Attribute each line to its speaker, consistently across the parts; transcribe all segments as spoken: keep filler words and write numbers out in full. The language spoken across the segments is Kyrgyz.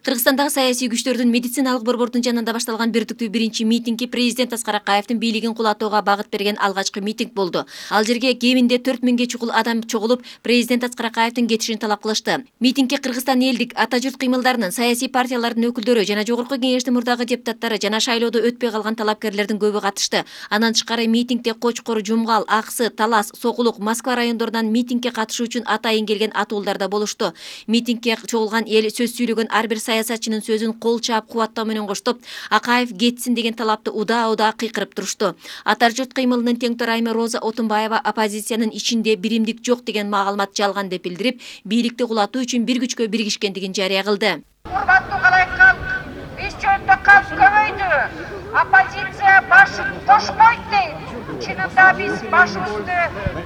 Speaker 1: Кыргызстандагы саясий күчтөрдүн медициналык борбордун жанында башталган бирдиктүү биринчи митинги президент Аскар Акаевдин бийлигин кулатууга багыт берген алгачкы митинг болду. Ал жерге кеминде төрт миңге чукул адам чогулуп, президент Аскар Акаевдин кетишин талап кылышты. Митингге Кыргызстан элдик ата журт кыймылдарынын, саясий партиялардын өкүлдөрү жана жогорку кеңештин мурдагы депутаттары жана шайлоодо өтпөй калган талапкерлердин көбү катышты. Андан тышкары митингде Кочкор, Жумгал, Аксы, Талас, Сокулук, Москва райондорунан митингге катышуу үчүн атайын келген атуулдар да болушту. Митингге чогулган эл сөз сүйлөгөн ар бир саясатчынын сөзүн кол чаап кубаттоо менен коштоп, Акаев кетсин деген талапты удаа-удаа кыйкырып турушту. Ата журт кыймылынын тең Айме Роза Отунбаева оппозициянын ичинде биримдик жок деген маалымат жалган деп билдирип, бийликти кулатуу үчүн бир күчкө биригишкендигин жарыя кылды.
Speaker 2: Урматтуу калайкал, биз жөнүндө калп көбөйдү. Оппозиция башын кошпойт дейт. Чынында биз башыбызды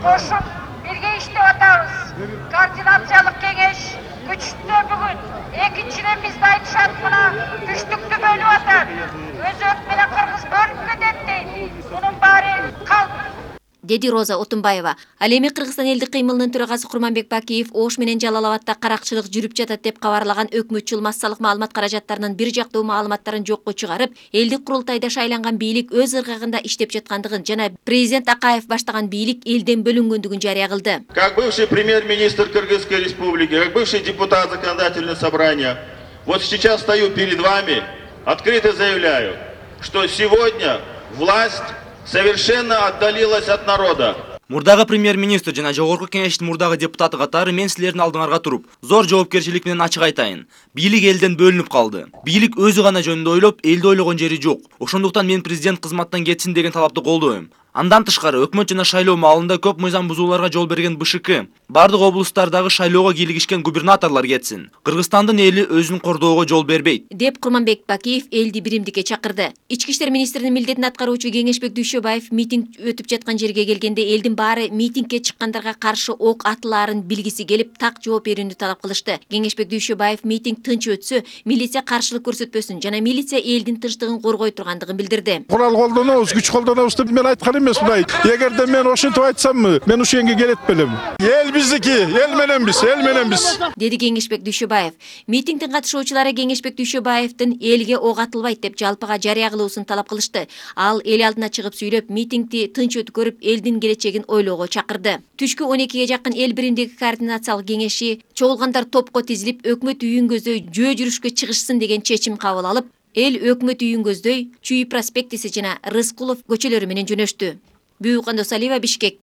Speaker 2: кошуп бирге иштеп атабыз. Координациялык кеңеш күчтүү бүгүн. Экинчиден бизди айтышат мына күчтүктү бөлүп атат. Өзөк менен кыргыз бөлүп кетет дейт. Мунун баары калп.
Speaker 1: Деди Роза Отунбаева. Ал эми Кыргызстан элдик кыймылынын төрагасы Курманбек Бакиев Ош менен Жалал Абадта каракчылык жүрүп жатат деп кабарлаган өкмөтчүл массалык маалымат каражаттарынын бир жактуу маалыматтарын жокко чыгарып, элдик курултайда шайланган бийлик өз ыргагында иштеп жаткандыгын жана президент Акаев баштаган бийлик элден бөлүнгөндүгүн жарыя кылды.
Speaker 3: Как бывший премьер-министр Кыргызской республики, как бывший депутат законодательного собрания, вот сейчас стою перед вами, открыто заявляю, что сегодня власть совершенно отдалилась от народа.
Speaker 4: Мурдагы премьер-министр жана жогорку кеңештин мурдагы депутаты катары мен силердин алдыңарга туруп, зор жоопкерчилик менен ачык айтайын. Бийлик элден бөлүнүп калды. Бийлик өзү гана жөнүндө ойлоп, элди ойлогон жери жок. Ошондуктан мен президент кызматтан кетсин деген талапты колдойм. Андан тышкары өкмөт жана шайлоо маалында көп мыйзам бузууларга жол берген БШК, бардык облустардагы шайлоого кийлигишкен губернаторлор кетсин. Кыргызстандын эли өзүн кордоого жол бербейт,
Speaker 1: деп Курманбек Бакиев элди биримдикке чакырды. Ички иштер министринин милдетин аткаруучу Кеңешбек Дүйшөбаев митинг өтүп жаткан жерге келгенде элдин баары митингге чыккандарга каршы ок атылаарын билгиси келип, так жооп берүүнү талап кылышты. Кеңешбек Дүйшөбаев митинг тынч өтсө, милиция каршылык көрсөтпөсүн жана милиция элдин тынчтыгын коргой тургандыгын билдирди.
Speaker 5: Курал колдонобуз, күч колдонобуз деп мен айткан эмес мындай. Эгерде мен ошентип айтсаммы, мен ушенге келет белем. Эл биздики, эл менен биз, эл менен биз.
Speaker 1: Деди Кеңешбек Дүйшөбаев. Митингдин катышуучулары Кеңешбек Дүйшөбаевдин элге ок атылбайт деп жалпыга жарыя кылуусун талап кылышты. Ал эл алдына чыгып сүйлөп, митингди тынч өткөрүп, элдин келечегин ойлоого чакырды. Түшкү он экиге жакын эл биримдиги координациялык кеңеши чогулгандар топко тизилип, өкмөт үйүн көздөй жөө жүрүшкө чыгышсын деген чечим кабыл алып, эл өкмөт үйүн көздөй Чүй проспектиси жана Рыскулов көчөлөрү менен жөнөштү. Бүйүк Андосалиева, Бишкек.